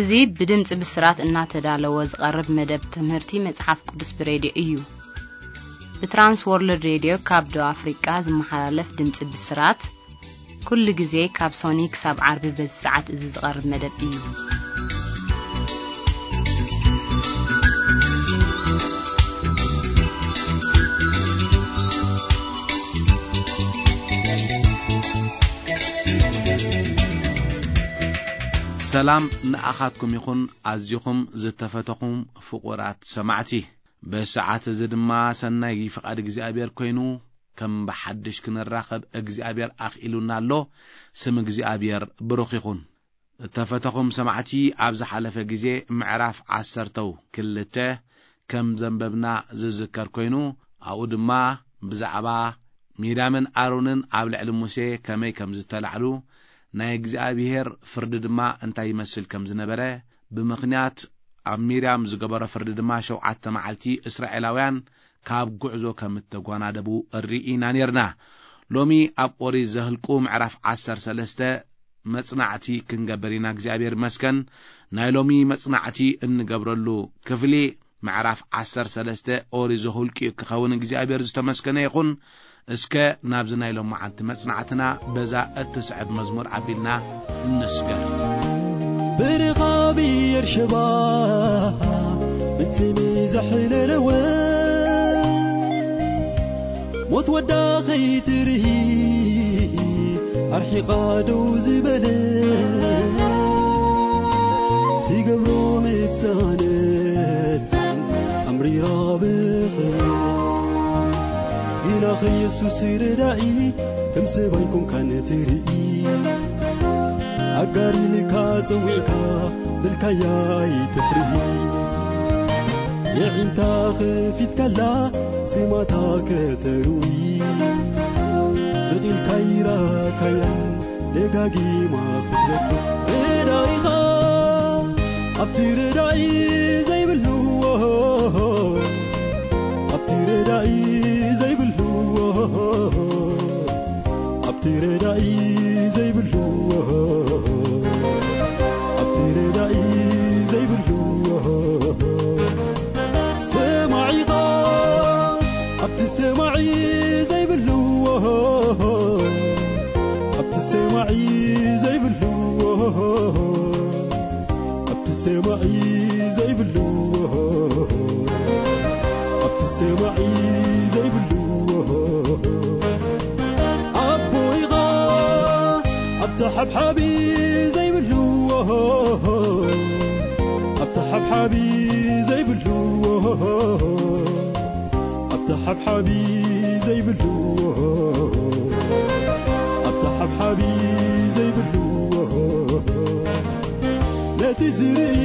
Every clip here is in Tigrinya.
እዚ ብድምጺ ብስራት እናተዳለወ ዝቐርብ መደብ ትምህርቲ መጽሓፍ ቅዱስ ብሬድዮ እዩ። ብትራንስ ወርልድ ሬድዮ ካብ ደቡብ ኣፍሪቃ ዝመሓላለፍ ድምጺ ብስራት፣ ኩሉ ግዜ ካብ ሶኒ ክሳብ ዓርቢ በዚ ሰዓት እዚ ዝቐርብ መደብ እዩ። ሰላም ንኣኻትኩም ይኹን፣ ኣዚኹም ዝተፈተኹም ፍቑራት ሰማዕቲ። በሰዓት እዚ ድማ ሰናይ ፍቓድ እግዚኣብሔር ኮይኑ፣ ከም ብሓድሽ ክንራኸብ እግዚኣብሔር ኣኽኢሉና ኣሎ። ስም እግዚኣብሔር ብሩኽ ይኹን። እተፈተኹም ሰማዕቲ፣ ኣብ ዝሓለፈ ግዜ ምዕራፍ ዓሰርተው ክልተ ከም ዘንበብና ዝዝከር ኮይኑ፣ ኣብኡ ድማ ብዛዕባ ሚርያምን ኣሮንን ኣብ ልዕሊ ሙሴ ከመይ ከም ዝተላዕሉ፣ ናይ እግዚኣብሔር ፍርዲ ድማ እንታይ ይመስል ከም ዝነበረ፣ ብምኽንያት ኣብ ሚርያም ዝገበሮ ፍርዲ ድማ ሸውዓተ መዓልቲ እስራኤላውያን ካብ ጉዕዞ ከም እተጓናደቡ ርኢና ኔርና። ሎሚ ኣብ ኦሪት ዘህልቁ ምዕራፍ ዓሰርተ ሰለስተ መጽናዕቲ ክንገብር ኢና። እግዚኣብሔር ይመስገን። ናይ ሎሚ መጽናዕቲ እንገብረሉ ክፍሊ ምዕራፍ ዓሰርተ ሰለስተ ኦሪት ዘሁልቂ ክኸውን እግዚኣብሔር ዝተመስገነ ይኹን። እስከ ናብዚ ናይ ሎማዓንቲ መጽናዕትና በዛ እትስዕብ መዝሙር ኣቢልና እንስገር። ብርኻ ብኤርሸባ ብትሚ ዘሕለለወ፣ ሞት ወዳ ኸይትርኢ ኣርሒቓ ደው ዝበለ፣ ትገብሮ ምጻነት ኣምሪራ ብኽብሪ። ግና ኸየሱስ ረዳኢ ከም ሰብ ኣይኮንካን ትርኢ። ኣጋር ኢልካ ጸዊዕካ ብልካያ ኣይትፍርሂ። የዒንታ ኸፊትካላ ዜማታ ከተርዊ። ስቕ ኢልካ ይራካያን ደጋጊማ ክትበኪ። ረዳኢኻ ኣብቲ ረዳኢ ዘይብሉ፣ ኣብቲ ረዳኢ ዘይብሉ፣ ኣብቲ ረዳኢ ዘይብሉ፣ ኣብቲ ረዳኢ ዘይብሉ። ሰማዒኻ ኣብቲ ሰማዒ ዘይብሉ፣ ኣብቲ ሰማዒ ዘይብሉ፣ ኣብቲ ሰማዒ ዘይብሉ፣ ኣብቲ ሰማዒ ዘይብሉ። ኣቦይኻ ኣብቲ ሓብሓቢ ዘይብሉ፣ ኣብቲ ሓብሓቢ ዘይብሉ፣ ኣብቲ ሓብሓቢ ዘይብሉ፣ ኣብቲ ሓብሓቢ ዘይብሉ። ነቲ ዝርኢ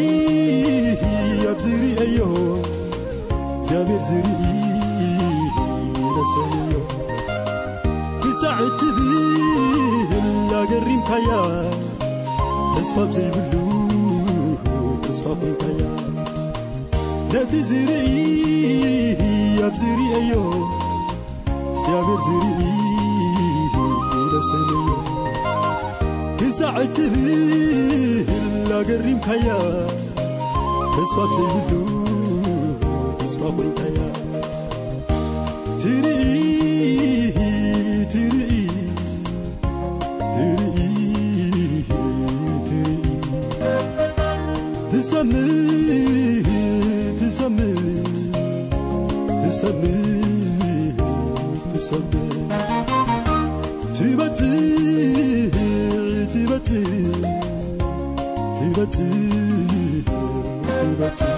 ኣብ ዝርእዮ እግዚኣብሔር ዝርኢ ደሰንዮ። ክሳዕ እትብል ኣገሪምካያ፣ ተስፋ ኣብ ዘይብሉ ተስፋ ኮይንካያ። ነቲ ዝርኢ ኣብ ዝርእዮ እግዚኣብሔር ዝርኢ ይመስለዮ። ክሳዕ እትብል ኣገሪምካያ፣ ተስፋ ኣብ ዘይብሉ ተስፋ ኮይንካያ። ትርኢ፣ ትርኢ፣ ትርኢ፣ ትርኢ፣ ትሰምዕ፣ ትሰምዕ፣ ትሰምዕ፣ ትሰምዕ። ትበጽሕ፣ ትበጽሕ፣ ትበጽሕ፣ ትበጽሕ።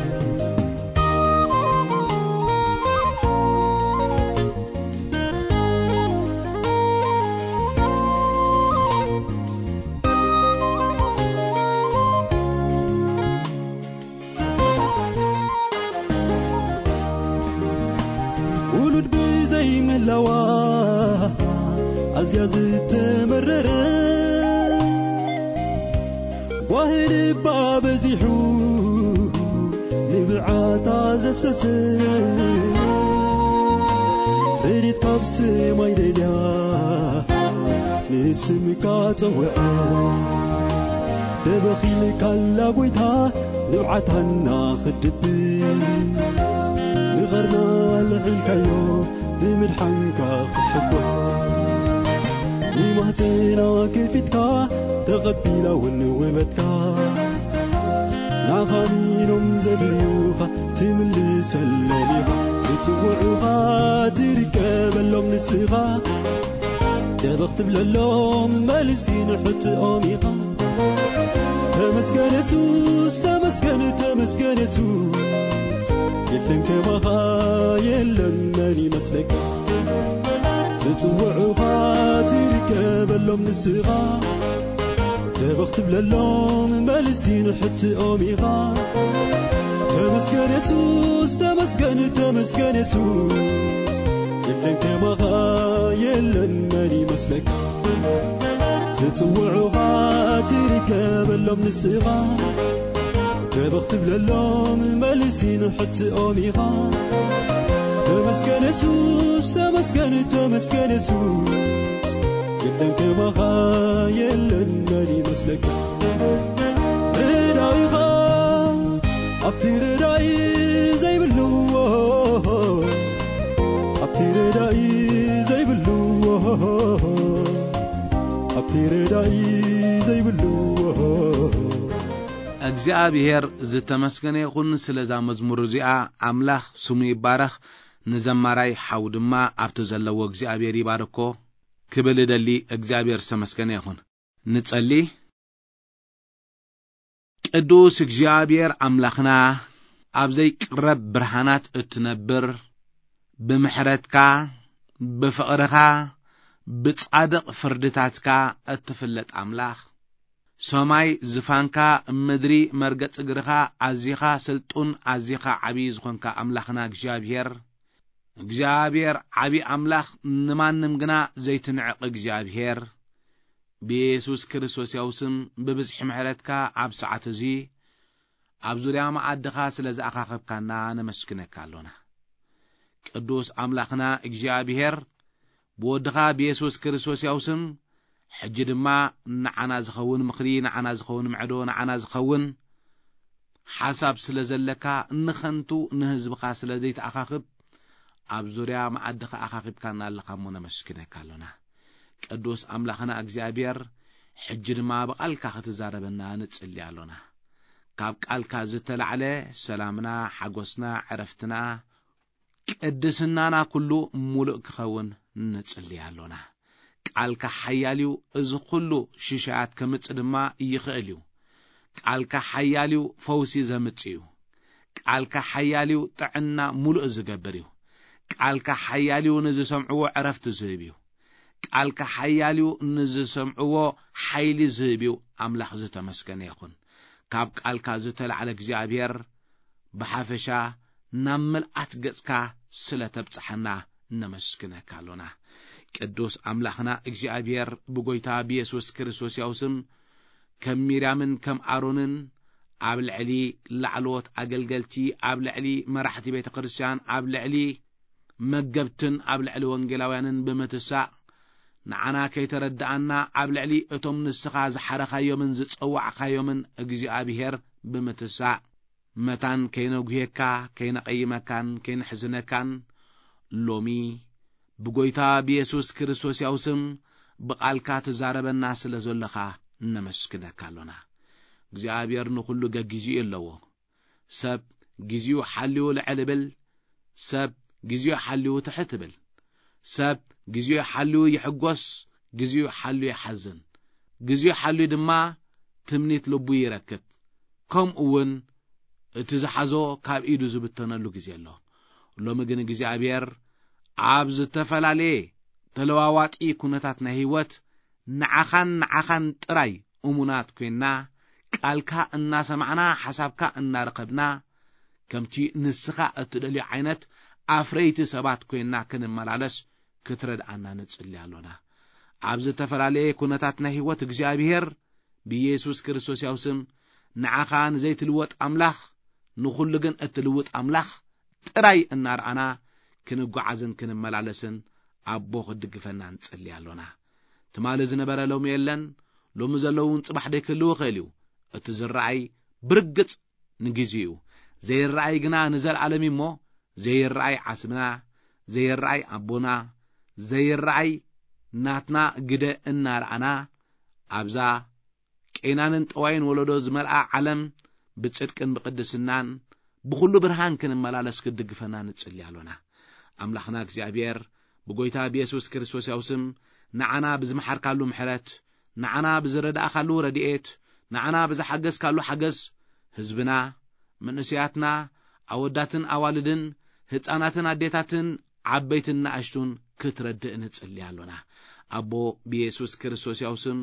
ውሉድ ብዘይምህላዋ ኣዝያ ዝተመረረ፣ ጓሂ ልባ በዚሑ ንብዓታ ዘፍሰሰ፣ ረድኤት ካብ ሰማይ ደልያ ንስምካ ጸውዐ። ተበኺልካላ ጎይታ ንብዓታና ክድብስ፣ ንቐርና ልዒልካዮ ብምድሓንካ ክሕጎስ፣ ንማህፀና ከፊትካ ተቐቢላ እውን ውበትካ፣ ንዓኻ ኣሚኖም ዘድልዩኻ ትምልሰሎም ኢኻ፣ ዝጽውዑኻ ትርከበሎም ንስኻ፣ ደበኽ ትብለሎም መልሲ ንሕትኦም ኢኻ። ተመስገን የሱስ፣ ተመስገን፣ ተመስገን የሱስ፣ የለን ከማኻ የለን መን ይመስለካ። ዝጽውዑኻ ትርከበሎም ንስኻ፣ ደበኽ ትብለሎም መልሲ ንሕትኦም ኢኻ። ተመስገን የሱስ፣ ተመስገን፣ ተመስገን የሱስ፣ የለን ከማኻ የለን መን ይመስለካ። ዝጽውዑኻ ትርከበሎም ንስኻ፣ ደበኽ ትብለሎም መልሲ ንሕትኦም ኢኻ። ተመስገን የሱስ፣ ተመስገን፣ ተመስገን የሱስ፣ የለን ከማኻ የለን መን ይመስለካ። ረዳኢኻ ኣብቲ ረዳኢ ዘይብሉ፣ ኣብቲ ረዳኢ ዘይብሉ፣ ኣብቲ ረዳኢ ዘይብሉ። እግዚኣብሔር ዝተመስገነ ይኹን ስለዛ መዝሙር እዚኣ። ኣምላኽ ስሙ ይባረኽ። ንዘማራይ ሓው ድማ ኣብቲ ዘለዎ እግዚኣብሔር ይባርኮ ክብል እደሊ። እግዚኣብሔር ዝተመስገነ ይኹን። ንጸሊ። ቅዱስ እግዚኣብሔር ኣምላኽና፣ ኣብ ዘይቅረብ ብርሃናት እትነብር፣ ብምሕረትካ፣ ብፍቕርኻ፣ ብጻድቕ ፍርድታትካ እትፍለጥ ኣምላኽ፣ ሰማይ ዝፋንካ፣ ምድሪ መርገጽ እግርኻ፣ ኣዚኻ ስልጡን፣ ኣዚኻ ዓብዪ ዝኾንካ ኣምላኽና እግዚኣብሔር፣ እግዚኣብሔር ዓብዪ ኣምላኽ፣ ንማንም ግና ዘይትንዕቕ እግዚኣብሔር፣ ብየሱስ ክርስቶስ ያው ስም ብብዝሒ ምሕረትካ ኣብ ሰዓት እዚ ኣብ ዙርያ መኣድኻ ስለ ዝኣኻኸብካና ነመስግነካ ኣሎና። ቅዱስ ኣምላኽና እግዚኣብሔር፣ ብወድኻ ብየሱስ ክርስቶስ ያው ስም፣ ሕጂ ድማ ንዓና ዝኸውን ምኽሪ፣ ንዓና ዝኸውን ምዕዶ፣ ንዓና ዝኸውን ሓሳብ ስለ ዘለካ፣ ንኸንቱ ንህዝብኻ ስለ ዘይትኣኻኽብ፣ ኣብ ዙርያ መኣድኻ ኣኻኺብካና ኣለኻ እሞ ነመስግነካ ኣሎና። ቅዱስ ኣምላኽና እግዚኣብሔር፣ ሕጂ ድማ ብቓልካ ክትዛረበና ንጽሊ ኣሎና። ካብ ቃልካ ዝተላዕለ ሰላምና፣ ሓጎስና፣ ዕረፍትና፣ ቅድስናና ኩሉ ሙሉእ ክኸውን ንጽሊ ኣሎና። ቃልካ ሓያል እዩ፣ እዚ ኩሉ ሽሻያት ከምጽእ ድማ ይኽእል እዩ። ቃልካ ሓያል እዩ፣ ፈውሲ ዘምጽእ እዩ። ቃልካ ሓያል እዩ፣ ጥዕና ሙሉእ ዝገብር እዩ። ቃልካ ሓያል እዩ፣ ንዝሰምዕዎ ዕረፍቲ ዝህብ እዩ። ቃልካ ሓያል እዩ፣ ንዝሰምዕዎ ሓይሊ ዝህብ እዩ። ኣምላኽ ዝተመስገነ ይኹን። ካብ ቃልካ ዝተላዕለ እግዚኣብሔር ብሓፈሻ ናብ ምልኣት ገጽካ ስለ ተብጽሓና ነመስግነካ ኣሎና። ቅዱስ ኣምላኽና እግዚኣብሔር ብጎይታ ብየሱስ ክርስቶስ ያው ስም ከም ሚርያምን ከም ኣሮንን ኣብ ልዕሊ ላዕለዎት ኣገልገልቲ፣ ኣብ ልዕሊ መራሕቲ ቤተ ክርስቲያን፣ ኣብ ልዕሊ መገብትን ኣብ ልዕሊ ወንጌላውያንን ብምትሳእ፣ ንዓና ከይተረድኣና ኣብ ልዕሊ እቶም ንስኻ ዝሓረኻዮምን ዝጸዋዕካዮምን እግዚኣብሔር ብምትሳእ፣ መታን ከይነጉሄካ፣ ከይነቐይመካን ከይነሕዝነካን፣ ሎሚ ብጎይታ ብየሱስ ክርስቶስ ያው ስም ብቓልካ ትዛረበና ስለ ዘለኻ ነመስግነካ ኣሎና። እግዚኣብሔር ንኹሉ ገጊዙ እዩ ኣለዎ። ሰብ ግዜኡ ሓልዩ ልዕል እብል፣ ሰብ ግዜኡ ሓልዩ ትሕት እብል። ሰብ ግዜኡ ሓልዩ ይሕጎስ፣ ግዜኡ ሓልዩ ይሓዝን። ግዜኡ ሓልዩ ድማ ትምኒት ልቡ ይረክብ። ከምኡ እውን እቲ ዝሓዞ ካብ ኢዱ ዝብተነሉ ግዜ ኣሎ። ሎሚ ግን እግዚኣብሔር ኣብ ዝተፈላለየ ተለዋዋጢ ኩነታት ናይ ህይወት ንዓኻን ንዓኻን ጥራይ እሙናት ኮይንና፣ ቃልካ እናሰማዕና፣ ሓሳብካ እናረኸብና፣ ከምቲ ንስኻ እትደልዮ ዓይነት ኣፍረይቲ ሰባት ኮይንና ክንመላለስ ክትረድኣና ንጽሊ ኣሎና። ኣብ ዝተፈላለየ ኩነታት ናይ ህይወት እግዚኣብሔር ብየሱስ ክርስቶስ ያው ስም ንዓኻ ንዘይትልወጥ ኣምላኽ፣ ንኹሉ ግን እትልውጥ ኣምላኽ ጥራይ እናረኣና ክንጓዓዝን ክንመላለስን ኣቦ ክትድግፈና ንጽሊ ኣሎና። ትማሊ ዝነበረ ሎሚ የለን፣ ሎሚ ዘለውን ጽባሕ ደይክህልው ይኽእል እዩ። እቲ ዝረኣይ ብርግጽ ንግዜኡ እዩ። ዘይረኣይ ግና ንዘለኣለም እዩ እሞ፣ ዘይረኣይ ዓስብና፣ ዘይረኣይ ኣቦና፣ ዘይረኣይ ናትና ግደ እናረኣና፣ ኣብዛ ቄናንን ጠዋይን ወለዶ ዝመልኣ ዓለም ብጽድቅን ብቅድስናን ብኹሉ ብርሃን ክንመላለስ ክትድግፈና ንጽሊ ኣሎና። ኣምላኽና እግዚኣብሔር ብጎይታ ብየሱስ ክርስቶስ ያው ስም ንዓና ብዝመሓርካሉ ምሕረት፣ ንዓና ብዝረዳእካሉ ረድኤት፣ ንዓና ብዝሓገዝካሉ ሓገዝ፣ ህዝብና፣ መንእሰያትና፣ ኣወዳትን ኣዋልድን፣ ህጻናትን ኣዴታትን፣ ዓበይትን ንኣሽቱን ክትረድእ ንጽሊ ኣሎና። ኣቦ ብየሱስ ክርስቶስ ያው ስም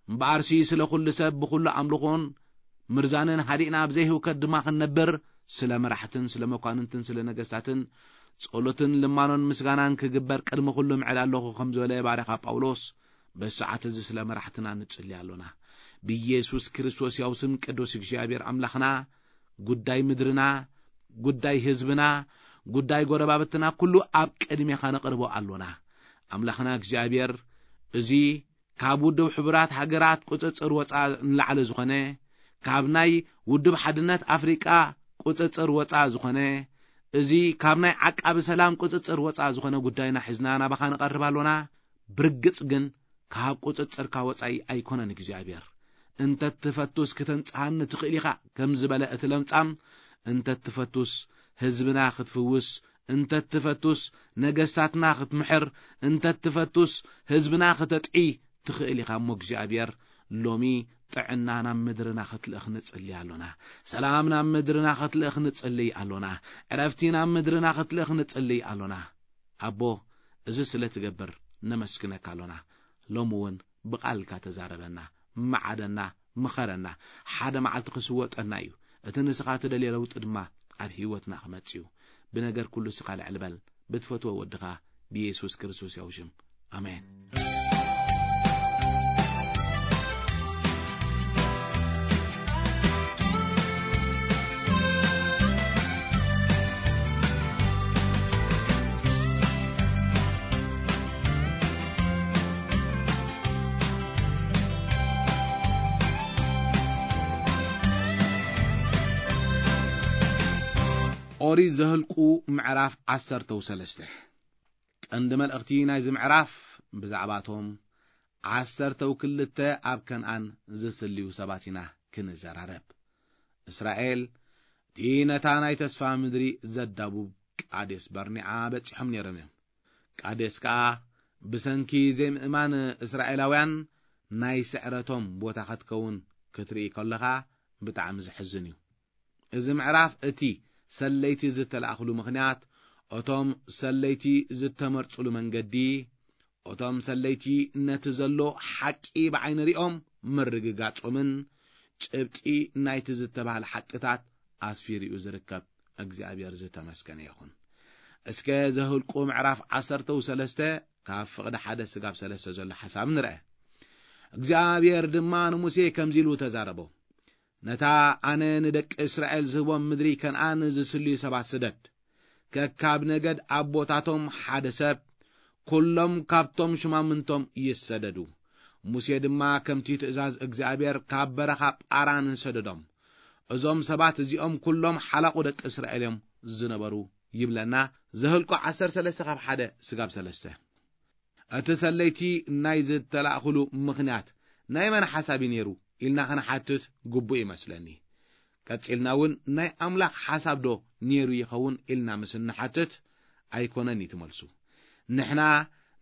እምበኣርሲ ስለ ኩሉ ሰብ ብኹሉ ኣምልኾን ምርዛንን ሃዲእና ኣብ ዘይህውከት ድማ ክንነብር፣ ስለ መራሕትን ስለ መኳንንትን ስለ ነገስታትን ጸሎትን ልማኖን ምስጋናን ክግበር ቅድሚ ኩሉ ምዕድ ኣለኹ ከም ዝበለ ባርያኻ ጳውሎስ፣ በዚ ሰዓት እዚ ስለ መራሕትና ንጽሊ ኣሎና። ብየሱስ ክርስቶስ ያው ስም ቅዱስ እግዚኣብሔር ኣምላኽና፣ ጉዳይ ምድርና፣ ጉዳይ ህዝብና፣ ጉዳይ ጎረባብትና ኩሉ ኣብ ቅድሜኻ ነቕርቦ ኣሎና። ኣምላኽና እግዚኣብሔር፣ እዚ ካብ ውድብ ሕቡራት ሃገራት ቁጽጽር ወጻ ንላዕሊ ዝኾነ፣ ካብ ናይ ውድብ ሓድነት ኣፍሪቃ ቁጽጽር ወጻ ዝኾነ፣ እዚ ካብ ናይ ዓቃቢ ሰላም ቁጽጽር ወጻ ዝኾነ ጉዳይና ሒዝና ናባኻ ንቐርብ ኣሎና። ብርግጽ ግን ካብ ቁጽጽርካ ወጻኢ ኣይኮነን እግዚኣብሔር። እንተ ትፈቱስ ክተንጽሃኒ ትኽእል ኢኻ ከም ዝበለ እቲ ለምጻም፣ እንተ ትፈቱስ ህዝብና ክትፍውስ፣ እንተ ትፈቱስ ነገስታትና ክትምሕር፣ እንተ ትፈቱስ ህዝብና ክተጥዒ ትኽእል ኢኻ እሞ እግዚኣብሔር፣ ሎሚ ጥዕና ናብ ምድርና ክትልእኽ ንጽሊ ኣሎና። ሰላም ናብ ምድርና ክትልእኽ ንጽሊ ኣሎና። ዕረፍቲ ናብ ምድርና ክትልእኽ ንጽሊ ኣሎና። ኣቦ፣ እዚ ስለ ትገብር ነመስግነካ ኣሎና። ሎሚ እውን ብቓልካ ተዛረበና፣ መዓደና፣ ምኸረና። ሓደ መዓልቲ ክስወጠና እዩ። እቲ ንስኻ ትደልዮ ለውጢ ድማ ኣብ ህይወትና ክመጽእ እዩ። ብነገር ኩሉ ስኻ ልዕል በል። ብትፈትዎ ወድኻ ብየሱስ ክርስቶስ ያው ሽም። ኣሜን። ኦሪት ዘህልቁ ምዕራፍ ዓሰርተው ሰለስተ። ቀንዲ መልእኽቲ ናይዚ ምዕራፍ ብዛዕባቶም ዓሰርተው ክልተ ኣብ ከነኣን ዝስልዩ ሰባት ኢና ክንዘራረብ። እስራኤል እቲ ነታ ናይ ተስፋ ምድሪ ዘዳቡብ ቃዴስ በርኒዓ በጺሖም ነይሮም እዮም። ቃዴስ ከኣ ብሰንኪ ዘይምእማን እስራኤላውያን ናይ ስዕረቶም ቦታ ክትከውን ክትርኢ ከለኻ ብጣዕሚ ዘሕዝን እዩ። እዚ ምዕራፍ እቲ ሰለይቲ ዝተላእኽሉ ምኽንያት፣ እቶም ሰለይቲ ዝተመርጹሉ መንገዲ፣ እቶም ሰለይቲ ነቲ ዘሎ ሓቂ ብዓይኒ ሪኦም ምርግጋጾምን ጭብጢ ናይቲ ዝተባህለ ሓቅታት ኣስፊሩ እዩ ዝርከብ። እግዚኣብሔር ዝተመስገነ ይኹን። እስከ ዘህልቁ ምዕራፍ ዓሰርተው ሰለስተ ካብ ፍቕዲ ሓደ ስጋብ ሰለስተ ዘሎ ሓሳብ ንርአ። እግዚኣብሔር ድማ ንሙሴ ከምዚ ኢሉ ተዛረቦ። ነታ ኣነ ንደቂ እስራኤል ዝህቦም ምድሪ ከነኣን ዝስልዩ ሰባት ስደድ። ከካብ ነገድ ኣቦታቶም ሓደ ሰብ፣ ኩሎም ካብቶም ሽማምንቶም ይሰደዱ። ሙሴ ድማ ከምቲ ትእዛዝ እግዚኣብሔር ካብ በረኻ ጳራን ሰደዶም። እዞም ሰባት እዚኦም ኩሎም ሓላቑ ደቂ እስራኤል እዮም ዝነበሩ ይብለና። ዘህልቁ ዓሰርተ ሰለስተ ካብ ሓደ ስጋብ ሰለስተ። እቲ ሰለይቲ ናይ ዝተላእኽሉ ምኽንያት ናይ መን ሓሳብ እዩ ነይሩ ኢልና ክንሓትት ግቡእ ይመስለኒ። ቀጺልና እውን ናይ ኣምላኽ ሓሳብ ዶ ነይሩ ይኸውን ኢልና ምስ እንሓትት ኣይኮነን እዩ ትመልሱ። ንሕና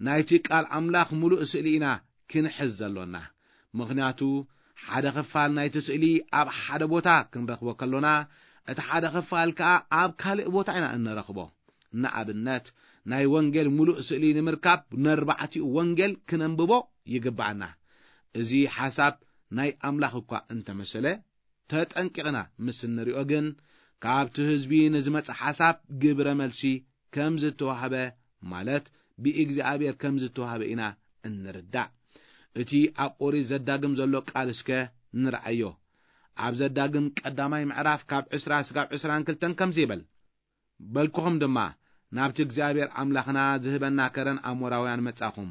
ናይቲ ቃል ኣምላኽ ምሉእ ስእሊ ኢና ክንሕዝ ዘሎና። ምኽንያቱ ሓደ ክፋል ናይቲ ስእሊ ኣብ ሓደ ቦታ ክንረኽቦ ከሎና፣ እቲ ሓደ ክፋል ከኣ ኣብ ካልእ ቦታ ኢና እንረኽቦ። ንኣብነት፣ ናይ ወንጌል ምሉእ ስእሊ ንምርካብ ነርባዕቲኡ ወንጌል ክነንብቦ ይግብኣና። እዚ ሓሳብ ናይ ኣምላኽ እኳ እንተመሰለ፣ ተጠንቂቕና ምስ እንሪኦ ግን፣ ካብቲ ህዝቢ ንዝመጽእ ሓሳብ ግብረ መልሲ ከም ዝተዋህበ፣ ማለት ብእግዚኣብሔር ከም ዝተዋህበ ኢና እንርዳእ። እቲ ኣብ ኦሪት ዘዳግም ዘሎ ቃል እስከ ንርኣዮ። ኣብ ዘዳግም ቀዳማይ ምዕራፍ ካብ ዕስራ ስጋብ ዕስራን ክልተን ከምዚ ይብል፣ በልኩኹም ድማ፣ ናብቲ እግዚኣብሔር ኣምላኽና ዝህበና ከረን ኣሞራውያን መጻኹም።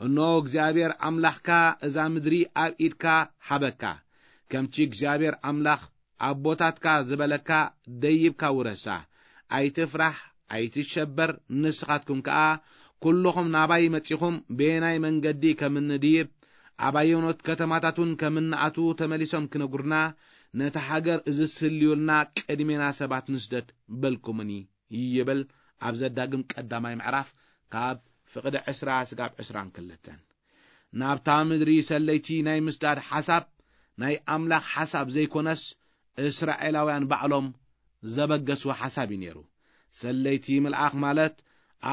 እኖ እግዚኣብሔር ኣምላኽካ እዛ ምድሪ ኣብ ኢድካ ሃበካ። ከምቲ እግዚኣብሔር ኣምላኽ ኣቦታትካ ዝበለካ ደይብካ ውረሳ። ኣይትፍራሕ፣ ኣይትሸበር። ንስኻትኩም ከኣ ኩልኹም ናባይ መጺኹም፣ በየናይ መንገዲ ከም እንድይብ፣ ኣብ ኣየኖት ከተማታት እውን ከም እንኣትዉ ተመሊሶም ክነግሩና፣ ነታ ሃገር ዝስልዩልና ቅድሜና ሰባት ንስደድ በልኩምኒ ይብል ኣብ ዘዳግም ቀዳማይ ምዕራፍ ካብ ፍቕዲ ዕስራ ስጋብ ዕስራን ክልተን። ናብታ ምድሪ ሰለይቲ ናይ ምስዳድ ሓሳብ ናይ ኣምላኽ ሓሳብ ዘይኮነስ፣ እስራኤላውያን ባዕሎም ዘበገስዎ ሓሳብ እዩ ነይሩ። ሰለይቲ ምልኣኽ ማለት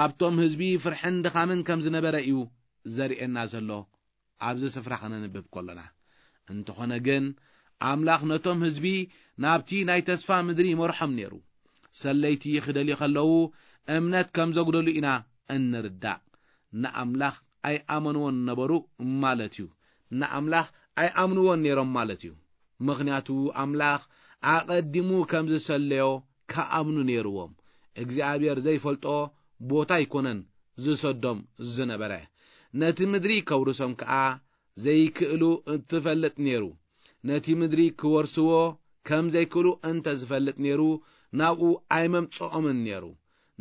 ኣብቶም ህዝቢ ፍርሕን ድኻምን ከም ዝነበረ እዩ ዘርእየና ዘሎ ኣብዚ ስፍራ ከነንብብ ከሎና። እንተኾነ ግን፣ ኣምላኽ ነቶም ህዝቢ ናብቲ ናይ ተስፋ ምድሪ ይመርሖም ነይሩ። ሰለይቲ ክደልዩ ከለዉ እምነት ከም ዘጉደሉ ኢና እንርዳእ። ንኣምላኽ ኣይኣመንዎን ነበሩ ማለት እዩ። ንኣምላኽ ኣይኣምንዎን ነይሮም ማለት እዩ። ምኽንያቱ ኣምላኽ ኣቐዲሙ ከም ዝሰለዮ ክኣምኑ ነይርዎም። እግዚኣብሔር ዘይፈልጦ ቦታ ኣይኮነን ዝሰዶም ዝነበረ። ነቲ ምድሪ ከውርሶም ከኣ ዘይክእሉ እትፈልጥ ነይሩ። ነቲ ምድሪ ክወርስዎ ከም ዘይክእሉ እንተ ዝፈልጥ ነይሩ፣ ናብኡ ኣይመምጽኦምን ነይሩ።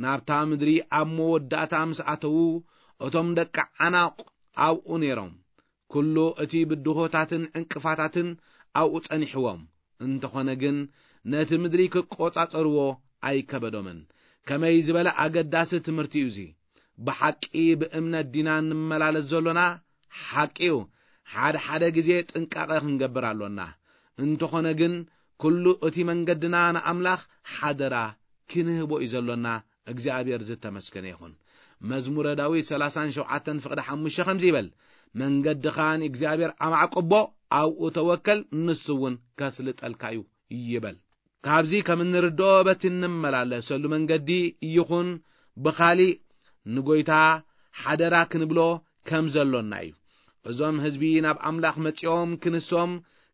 ናብታ ምድሪ ኣብ መወዳእታ ምስ ኣተዉ፣ እቶም ደቂ ዓናቕ ኣብኡ ነይሮም። ኩሉ እቲ ብድሆታትን ዕንቅፋታትን ኣብኡ ጸኒሕዎም። እንተኾነ ግን፣ ነቲ ምድሪ ክቆጻጸርዎ ኣይከበዶምን። ከመይ ዝበለ ኣገዳሲ ትምህርቲ እዩ እዚ! ብሓቂ ብእምነት ዲና እንመላለስ ዘሎና? ሓቂ እዩ፣ ሓደ ሓደ ግዜ ጥንቃቐ ክንገብር ኣሎና። እንተኾነ ግን፣ ኩሉ እቲ መንገድና ንኣምላኽ ሓደራ ክንህቦ እዩ ዘሎና። እግዚኣብሔር ዝተመስገነ ይኹን። መዝሙረ ዳዊት ሰላሳን ሸውዓተን ፍቕዲ ሓሙሽተ ከምዚ ይበል፣ "መንገድኻ ንእግዚኣብሔር ኣማዕቅቦ፣ ኣብኡ ተወከል፣ ንሱ እውን ከስልጠልካ እዩ" ይበል። ካብዚ ከም እንርድኦ፣ በቲ እንመላለሰሉ መንገዲ ይኹን ብኻሊእ ንጎይታ ሓደራ ክንብሎ ከም ዘሎና እዩ። እዞም ህዝቢ ናብ ኣምላኽ መጺኦም ክንሶም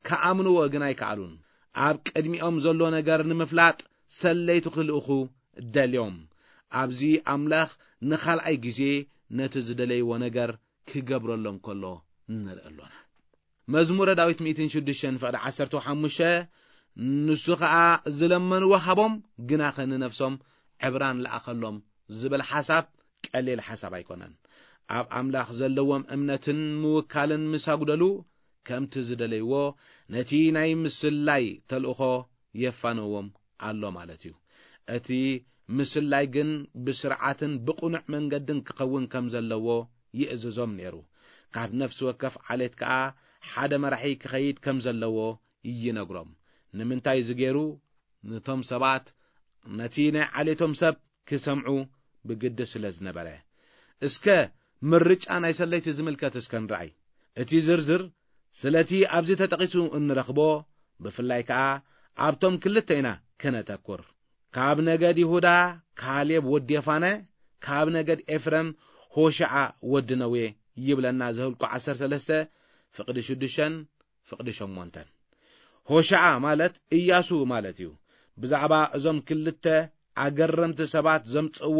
ክኣምንዎ ግን ኣይከኣሉን። ኣብ ቅድሚኦም ዘሎ ነገር ንምፍላጥ ሰለይቱ ክልእኹ ደልዮም። ኣብዚ ኣምላኽ ንኻልኣይ ግዜ ነቲ ዝደለይዎ ነገር ክገብረሎም ከሎ ንርኢ ኣሎና። መዝሙረ ዳዊት ሚእትን ሽዱሽተን ፍቕዲ ዓሰርተ ሓሙሽተ፣ ንሱ ኸኣ ዝለመንዎ ሃቦም፣ ግናኸ ንነፍሶም ዕብራን ለኣኸሎም ዝብል ሓሳብ ቀሊል ሓሳብ ኣይኮነን። ኣብ ኣምላኽ ዘለዎም እምነትን ምውካልን ምስ ኣጉደሉ፣ ከምቲ ዝደለይዎ ነቲ ናይ ምስላይ ተልእኾ የፋንዎም ኣሎ ማለት እዩ። እቲ ምስላይ ግን ብስርዓትን ብቕኑዕ መንገድን ክኸውን ከም ዘለዎ ይእዝዞም ነይሩ። ካብ ነፍሲ ወከፍ ዓሌት ከኣ ሓደ መራሒ ክኸይድ ከም ዘለዎ ይነግሮም። ንምንታይ እዚ ገይሩ? ነቶም ሰባት ነቲ ናይ ዓሌቶም ሰብ ክሰምዑ ብግዲ ስለ ዝነበረ። እስከ ምርጫ ናይ ሰለይቲ ዝምልከት እስከ ንርኣይ። እቲ ዝርዝር ስለቲ ኣብዚ ተጠቒሱ እንረኽቦ፣ ብፍላይ ከኣ ኣብቶም ክልተ ኢና ከነተኩር። ካብ ነገድ ይሁዳ ካሌብ ወዲ የፋነ፣ ካብ ነገድ ኤፍረም ሆሻዓ ወዲ ነዌ ይብለና ዘህልቁ ዓሰርተ ሰለስተ ፍቕዲ ሽዱሽተን ፍቕዲ ሸሞንተን። ሆሻዓ ማለት እያሱ ማለት እዩ። ብዛዕባ እዞም ክልተ ኣገረምቲ ሰባት ዘምጽእዎ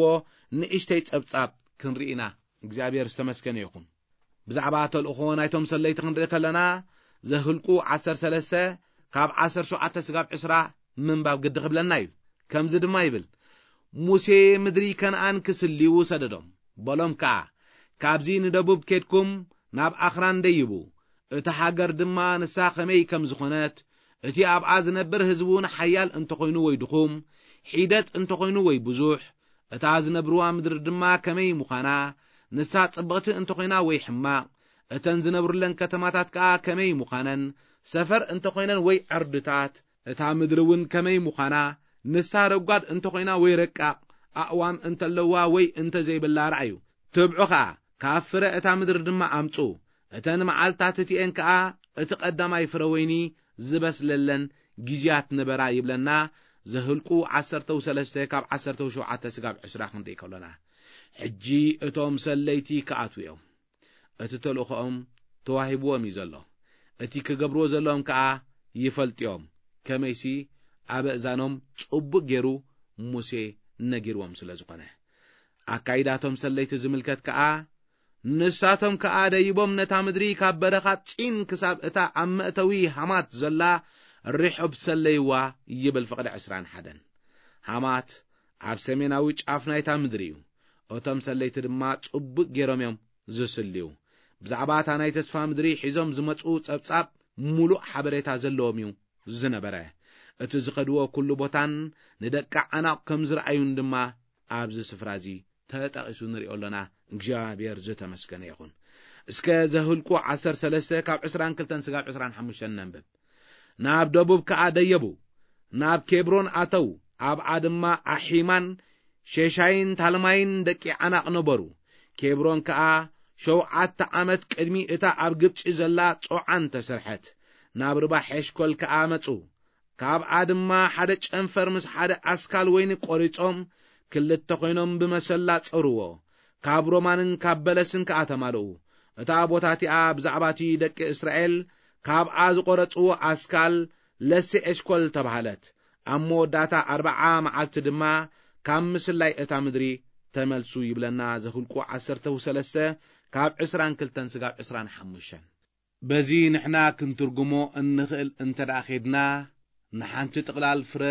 ንእሽተይ ጸብጻብ ክንርኢ ኢና። እግዚኣብሔር ዝተመስገነ ይኹን። ብዛዕባ ተልእኾ ናይቶም ሰለይቲ ክንርኢ ከለና፣ ዘህልቁ ዓሰርተ ሰለስተ ካብ ዓሰርተ ሸውዓተ ስጋብ ዕስራ ምንባብ ግዲ ክብለና እዩ። ከምዚ ድማ ይብል፣ "ሙሴ ምድሪ ከነኣን ክስልዩ ሰደዶም። በሎም ከኣ፣ 'ካብዚ ንደቡብ ኬድኩም ናብ ኣኽራን ደይቡ፣ እታ ሃገር ድማ ንሳ ኸመይ ከም ዝኾነት፣ እቲ ኣብኣ ዝነብር ህዝቢ እውን ሓያል እንተኾይኑ ወይ ድኹም፣ ሒደት እንተኾይኑ ወይ ብዙሕ፣ እታ ዝነብርዋ ምድሪ ድማ ከመይ ምዃና፣ ንሳ ጽብቕቲ እንተኾይና ወይ ሕማቕ፣ እተን ዝነብሩለን ከተማታት ከኣ ከመይ ምዃነን፣ ሰፈር እንተኾይነን ወይ ዕርድታት፣ እታ ምድሪ እውን ከመይ ምዃና፣ ንሳ ረጓድ እንተኾይና ወይ ረቃቕ፣ ኣእዋም እንተለዋ ወይ እንተዘይብላ ረኣዩ። ትብዑ ኸኣ፣ ካብ ፍረ እታ ምድሪ ድማ ኣምጹ። እተን መዓልትታት እቲኤን ከኣ እቲ ቀዳማይ ፍረ ወይኒ ዝበስለለን ግዜያት ነበራ" ይብለና። ዘህልቁ ዓሰርተ ሰለስተ ካብ ዓሰርተ ሸውዓተ ስጋብ ዕስራ ክንርኢ ከሎና፣ ሕጂ እቶም ሰለይቲ ክኣትዉ እዮም። እቲ ተልእኾኦም ተዋሂብዎም እዩ ዘሎ። እቲ ክገብርዎ ዘለዎም ከኣ ይፈልጡ እዮም። ከመይሲ ኣብ ኣእዛኖም ጽቡቕ ገይሩ ሙሴ ነጊርዎም ስለ ዝኾነ። ኣካይዳቶም ሰለይቲ ዝምልከት ከኣ ንሳቶም ከኣ ደይቦም ነታ ምድሪ ካብ በረኻ ጺን ክሳብ እታ ኣብ መእተዊ ሃማት ዘላ ርሑብ ሰለይዋ ይብል ፍቕዲ ዕስራን ሓደን። ሃማት ኣብ ሰሜናዊ ጫፍ ናይታ ምድሪ እዩ። እቶም ሰለይቲ ድማ ጽቡቕ ገይሮም እዮም ዝስልዩ። ብዛዕባ እታ ናይ ተስፋ ምድሪ ሒዞም ዝመጹ ጸብጻብ ምሉእ ሓበሬታ ዘለዎም እዩ ዝነበረ። እቲ ዝኸድዎ ኩሉ ቦታን ንደቂ ዓናቕ ከም ዝረኣዩን ድማ ኣብዚ ስፍራ እዚ ተጠቒሱ ንሪኦ ኣሎና። እግዚኣብሔር ዝተመስገነ ይኹን። እስከ ዘህልቁ ዓሰርተ ሰለስተ ካብ ዕስራን ክልተን ስጋብ ዕስራን ሓሙሽተን ነንብብ። ናብ ደቡብ ከኣ ደየቡ፣ ናብ ኬብሮን ኣተው። ኣብኣ ድማ ኣሒማን ሼሻይን ታልማይን ደቂ ዓናቕ ነበሩ። ኬብሮን ከኣ ሸውዓተ ዓመት ቅድሚ እታ ኣብ ግብጺ ዘላ ጾዓን ተሰርሐት። ናብ ርባ ሔሽኮል ከኣ መጹ። ካብኣ ድማ ሓደ ጨንፈር ምስ ሓደ ኣስካል ወይኒ ቆሪጾም ክልተ ኮይኖም ብመሰላ ጸርዎ። ካብ ሮማንን ካብ በለስን ከኣ ተማልኡ። እታ ቦታ እቲኣ ብዛዕባ እቲ ደቂ እስራኤል ካብኣ ዝቆረጽዎ ኣስካል ለሴ ኤሽኮል ተባህለት። ኣብ መወዳእታ ኣርብዓ መዓልቲ ድማ ካብ ምስላይ እታ ምድሪ ተመልሱ ይብለና ዘሁልቁ ዓሰርተ ሰለስተ ካብ ዕስራን ክልተን ስጋብ ዕስራን ሓሙሽተን። በዚ ንሕና ክንትርጉሞ እንኽእል እንተ ደኣ ኼድና፣ ንሓንቲ ጥቕላል ፍረ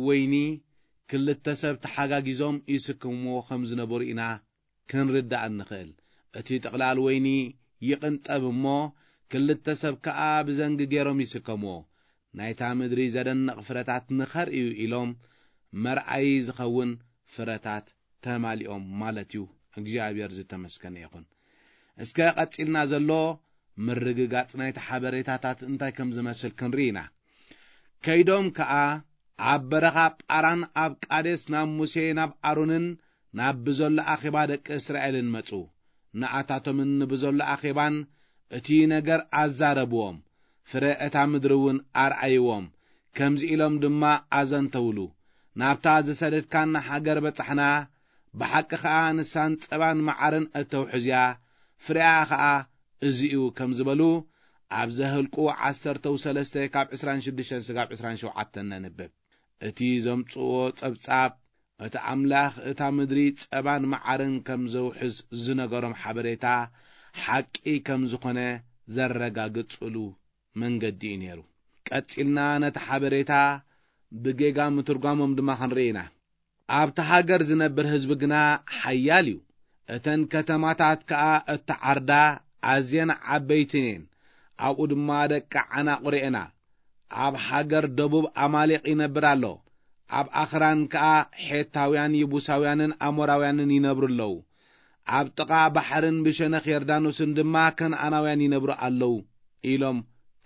ወይኒ ክልተ ሰብ ተሓጋጊዞም ይስከምዎ ከም ዝነበሩ ኢና ክንርዳእ እንኽእል። እቲ ጥቕላል ወይኒ ይቕንጠብ እሞ፣ ክልተ ሰብ ከኣ ብዘንጊ ገይሮም ይስከምዎ። ናይታ ምድሪ ዘደንቕ ፍረታት ንኸርእዩ ኢሎም መርኣዪ ዝኸውን ፍረታት ተማሊኦም ማለት እዩ። እግዚኣብሔር ዝተመስገነ ይኹን። እስከ ቀጺልና ዘሎ ምርግጋጽ ናይቲ ሓበሬታታት እንታይ ከም ዝመስል ክንርኢ ኢና። ከይዶም ከኣ ኣብ በረኻ ጳራን ኣብ ቃዴስ ናብ ሙሴ ናብ ኣሮንን ናብ ብዘሎ ኣኼባ ደቂ እስራኤልን መጹ። ንኣታቶምን ንብዘሎ ኣኼባን እቲ ነገር ኣዛረብዎም፣ ፍረ እታ ምድሪ እውን ኣርኣይዎም። ከምዚ ኢሎም ድማ ኣዘንተውሉ፣ ናብታ ዝሰደድካና ሃገር በጻሕና፣ ብሓቂ ኸኣ ንሳን ጸባን መዓርን እተውሕዝያ፣ ፍሬኣ ኸኣ እዚ እዩ ከም ዝበሉ ኣብ ዘህልቁ ዓሰርተው ሰለስተ ካብ ዕስራን ሽዱሽተን ስጋብ ዕስራን ሸውዓተን ነንብብ። እቲ ዘምጽእዎ ጸብጻብ እቲ ኣምላኽ እታ ምድሪ ጸባን መዓርን ከም ዘውሕዝ ዝነገሮም ሓበሬታ ሓቂ ከም ዝኾነ ዘረጋግጽሉ መንገዲ እዩ ነይሩ። ቀጺልና ነቲ ሓበሬታ ብጌጋ ምትርጓሞም ድማ ክንርኢ ኢና። ኣብቲ ሃገር ዝነብር ህዝቢ ግና ሓያል እዩ። እተን ከተማታት ከኣ እተዓርዳ ኣዝየን ዓበይትን እየን። ኣብኡ ድማ ደቂ ዓናቑ ርኤና። ኣብ ሃገር ደቡብ ኣማሌቕ ይነብር ኣሎ። ኣብ ኣኽራን ከኣ ሔታውያን፣ ይቡሳውያንን ኣሞራውያንን ይነብሩ ኣለዉ። ኣብ ጥቓ ባሕርን ብሸነኽ ዮርዳኖስን ድማ ከነኣናውያን ይነብሩ ኣለዉ ኢሎም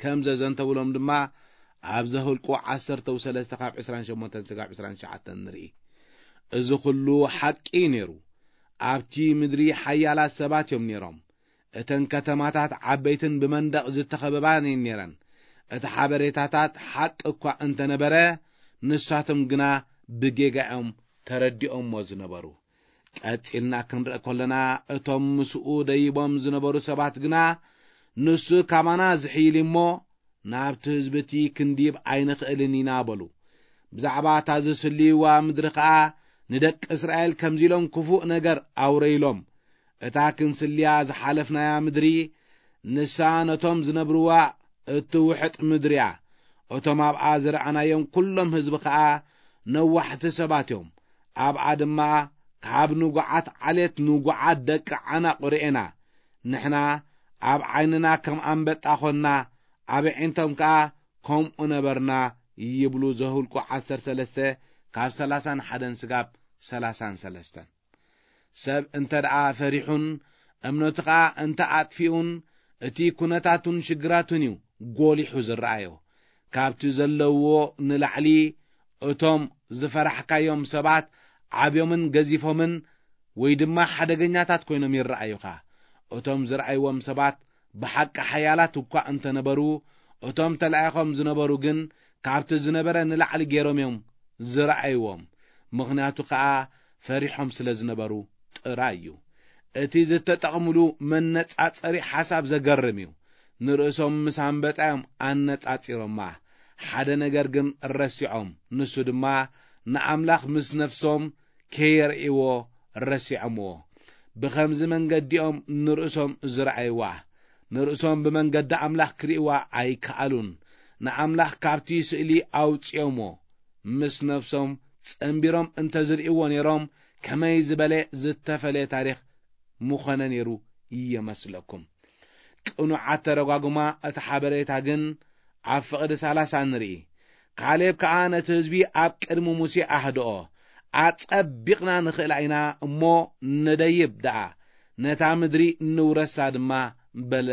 ከም ዘዘንተውሎም ድማ ኣብ ዘሁልቁ ዓሰርተው ሰለስተ ካብ ዕስራን ሸሞንተን ስጋብ ዕስራን ትሽዓተን ንርኢ። እዚ ኹሉ ሓቂ እዩ ነይሩ። ኣብቲ ምድሪ ሓያላት ሰባት እዮም ነይሮም። እተን ከተማታት ዓበይትን ብመንደቕ ዝተኸበባን እየን ነይረን። እቲ ሓበሬታታት ሓቂ እኳ እንተነበረ፣ ንሳቶም ግና ብጌጋ እዮም ተረዲኦሞ ዝነበሩ። ቀጺልና ክንርኢ ከለና፣ እቶም ምስኡ ደይቦም ዝነበሩ ሰባት ግና፣ "ንሱ ካባና ዝሕይል እሞ፣ ናብቲ ህዝቢ እቲ ክንድይብ ኣይንኽእልን ኢና" በሉ። ብዛዕባ እታ ዝስልይዋ ምድሪ ኸኣ ንደቂ እስራኤል ከምዚ ኢሎም ክፉእ ነገር ኣውረይሎም። እታ ክንስልያ ዝሓለፍናያ ምድሪ፣ ንሳ ነቶም ዝነብርዋ እትውሕጥ ምድሪ እያ። እቶም ኣብኣ ዝረኣናዮም ኩሎም ህዝቢ ኸኣ ነዋሕቲ ሰባት እዮም። ኣብኣ ድማ ካብ ንጉዓት ዓሌት ንጉዓት ደቂ ዓናቕ ርኤና። ንሕና ኣብ ዓይንና ከም ኣንበጣ ኾንና፣ ኣብ ኣዒንቶም ከኣ ከምኡ ነበርና ይብሉ ዘሁልቁ ዓሰርተ ሰለስተ ካብ ሰላሳን ሓደን ስጋብ ሰላሳን ሰለስተን። ሰብ እንተ ደኣ ፈሪሑን እምነቱ ኸኣ እንተ ኣጥፊኡን፣ እቲ ኩነታቱን ሽግራቱን እዩ ጎሊሑ ዝረኣዮ። ካብቲ ዘለውዎ ንላዕሊ እቶም ዝፈራሕካዮም ሰባት ዓብዮምን ገዚፎምን ወይ ድማ ሓደገኛታት ኮይኖም ይረኣዩኻ። እቶም ዝረኣይዎም ሰባት ብሓቂ ሓያላት እኳ እንተነበሩ፣ እቶም ተላኢኾም ዝነበሩ ግን ካብቲ ዝነበረ ንላዕሊ ገይሮም እዮም ዝረኣይዎም። ምኽንያቱ ኸኣ ፈሪሖም ስለ ዝነበሩ ጥራይ እዩ። እቲ ዝተጠቕምሉ መነጻጸሪ ሓሳብ ዘገርም እዩ። ንርእሶም ምስ ኣንበጣ እዮም ኣነጻጺሮማ። ሓደ ነገር ግን ረሲዖም፣ ንሱ ድማ ንኣምላኽ ምስ ነፍሶም ከየርእይዎ ረሲዖምዎ። ብኸምዚ መንገዲኦም ንርእሶም ዝረኣይዋ፣ ንርእሶም ብመንገዲ ኣምላኽ ክርእይዋ ኣይከኣሉን። ንኣምላኽ ካብቲ ስእሊ ኣውጺኦምዎ። ምስ ነፍሶም ጸንቢሮም እንተ ዝርእይዎ ነይሮም፣ ከመይ ዝበለ ዝተፈለየ ታሪኽ ምኾነ ነይሩ ይመስለኩም? ቅኑዕ ኣተረጓጉማ እቲ ሓበሬታ ግን ኣብ ፍቕዲ ሰላሳ ንርኢ። ካሌብ ከኣ ነቲ ህዝቢ ኣብ ቅድሚ ሙሴ ኣህድኦ። ኣጸቢቕና ንኽእላ ኢና እሞ ንደይብ ደኣ፣ ነታ ምድሪ ንውረሳ ድማ በለ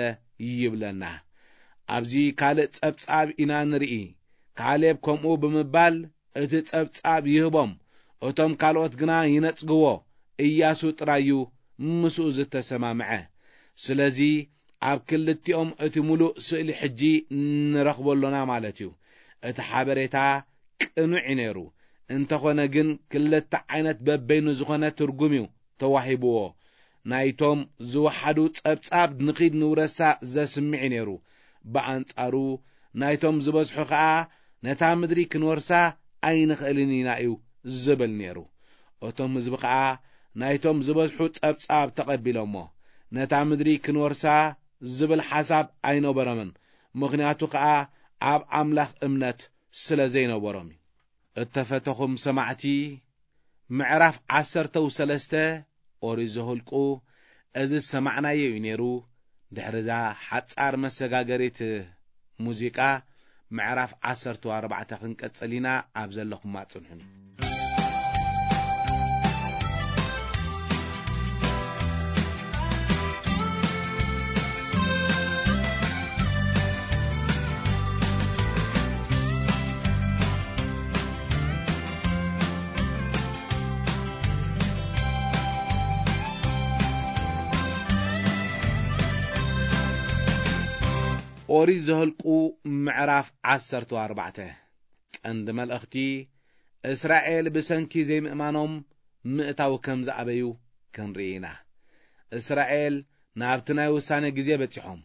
ይብለና። ኣብዚ ካልእ ጸብጻብ ኢና ንርኢ። ካሌብ ከምኡ ብምባል እቲ ጸብጻብ ይህቦም፣ እቶም ካልኦት ግና ይነጽግዎ። ኢያሱ ጥራይ እዩ ምስኡ ዝተሰማምዐ። ስለዚ ኣብ ክልቲኦም እቲ ምሉእ ስእሊ ሕጂ ንረኽቦ ኣሎና ማለት እዩ። እቲ ሓበሬታ ቅኑዕ እዩ ነይሩ። እንተኾነ ግን ክልተ ዓይነት በበይኑ ዝኾነ ትርጉም እዩ ተዋሂብዎ። ናይቶም ዝወሓዱ ጸብጻብ ንኺድ ንውረሳ ዘስምዕ እዩ ነይሩ። ብኣንጻሩ ናይቶም ዝበዝሑ ኸኣ ነታ ምድሪ ክንወርሳ ኣይንኽእልን ኢና እዩ ዝብል ነይሩ። እቶም ህዝቢ ኸኣ ናይቶም ዝበዝሑ ጸብጻብ ተቐቢሎሞ። ነታ ምድሪ ክንወርሳ ዝብል ሓሳብ ኣይነበሮምን። ምኽንያቱ ኸኣ ኣብ ኣምላኽ እምነት ስለ ዘይነበሮም እዩ። እተፈተኹም ሰማዕቲ፣ ምዕራፍ ዓሰርተው ሰለስተ ኦሪት ዘኍልቁ እዚ ዝሰማዕናዮ እዩ ነይሩ። ድሕሪ እዛ ሓጻር መሰጋገሪት ሙዚቃ፣ ምዕራፍ ዓሰርተ ኣርባዕተ ክንቀጽል ኢና። ኣብ ዘለኹማ ጽንሑኒ። ኦሪት ዘኍልቁ ምዕራፍ ዓሰርተ ኣርባዕተ። ቀንዲ መልእኽቲ፣ እስራኤል ብሰንኪ ዘይምእማኖም ምእታው ከም ዝኣበዩ ክንርኢ ኢና። እስራኤል ናብቲ ናይ ውሳኔ ግዜ በጺሖም።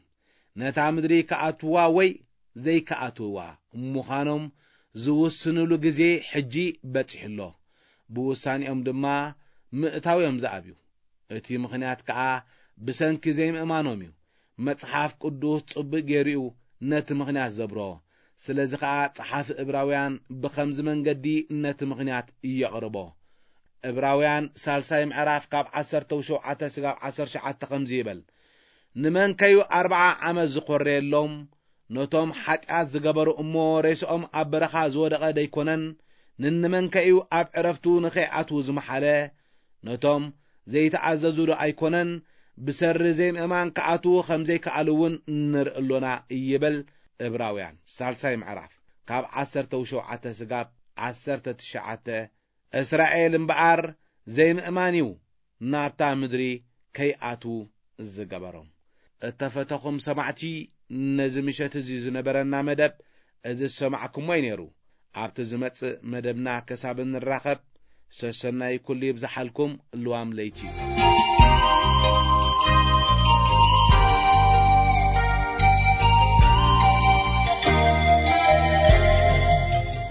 ነታ ምድሪ ክኣትዋ ወይ ዘይክኣትዋ ምዃኖም ዝውስንሉ ግዜ ሕጂ በጺሑ ኣሎ። ብውሳኔኦም ድማ ምእታው እዮም ዝኣብዩ። እቲ ምኽንያት ከኣ ብሰንኪ ዘይምእማኖም እዩ። መጽሓፍ ቅዱስ ጽቡቕ ገይሩ እዩ ነቲ ምኽንያት ዘብሮ። ስለዚ ኸኣ ጸሓፊ እብራውያን ብኸምዚ መንገዲ ነቲ ምኽንያት የቕርቦ። እብራውያን ሳልሳይ ምዕራፍ ካብ ዓሰርተ ሸውዓተ ስጋብ ዓሰርተ ትሽዓተ ከምዚ ይብል፣ "ንመንከዩ ኣርብዓ ዓመት ዝኾረየሎም? ነቶም ሓጢኣት ዝገበሩ እሞ ሬስኦም ኣብ በረኻ ዝወደቐ ደይኮነን? ንንመንከዩ ኣብ ዕረፍቱ ንኸይኣትዉ ዝመሓለ? ነቶም ዘይተኣዘዙ ዶ ኣይኮነን? ብሰሪ ዘይምእማን ክኣትዉ ከም ዘይከኣሉ እውን ንርኢ ኣሎና" ይብል። እብራውያን ሳልሳይ ምዕራፍ ካብ ዓሰርተ ሸውዓተ ስጋብ ዓሰርተ ትሽዓተ። እስራኤል እምበኣር ዘይምእማን እዩ ናብታ ምድሪ ከይኣትዉ ዝገበሮም። እተፈተኹም ሰማዕቲ፣ ነዚ ምሸት እዚ ዝነበረና መደብ እዚ ዝሰማዕኩሞ እዩ ነይሩ። ኣብቲ ዝመጽእ መደብና ክሳብ እንራኸብ፣ ሰሰናይ ኩሉ ይብዝሓልኩም። ልዋም ለይቲ።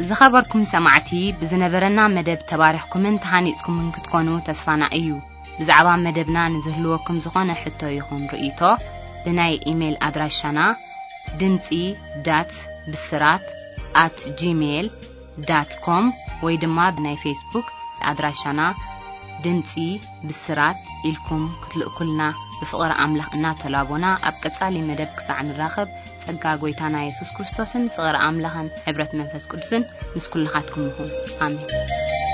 ዝኸበርኩም ሰማዕቲ፣ ብዝነበረና መደብ ተባሪኽኩምን ተሃኒጽኩምን ክትኮኑ ተስፋና እዩ። ብዛዕባ መደብና ንዝህልወኩም ዝኾነ ሕቶ ይኹን ርእይቶ፣ ብናይ ኢሜይል ኣድራሻና ድምጺ ዳት ብስራት ኣት ጂሜይል ዳት ኮም ወይ ድማ ብናይ ፌስቡክ ኣድራሻና ድምጺ ብስራት ኢልኩም ክትልእኩልና ብፍቕሪ ኣምላኽ እናተላቦና፣ ኣብ ቀጻሊ መደብ ክሳዕ ንራኸብ፣ ጸጋ ጐይታና የሱስ ክርስቶስን ፍቕሪ ኣምላኽን ሕብረት መንፈስ ቅዱስን ምስ ኩልኻትኩም ይኹን። ኣሜን።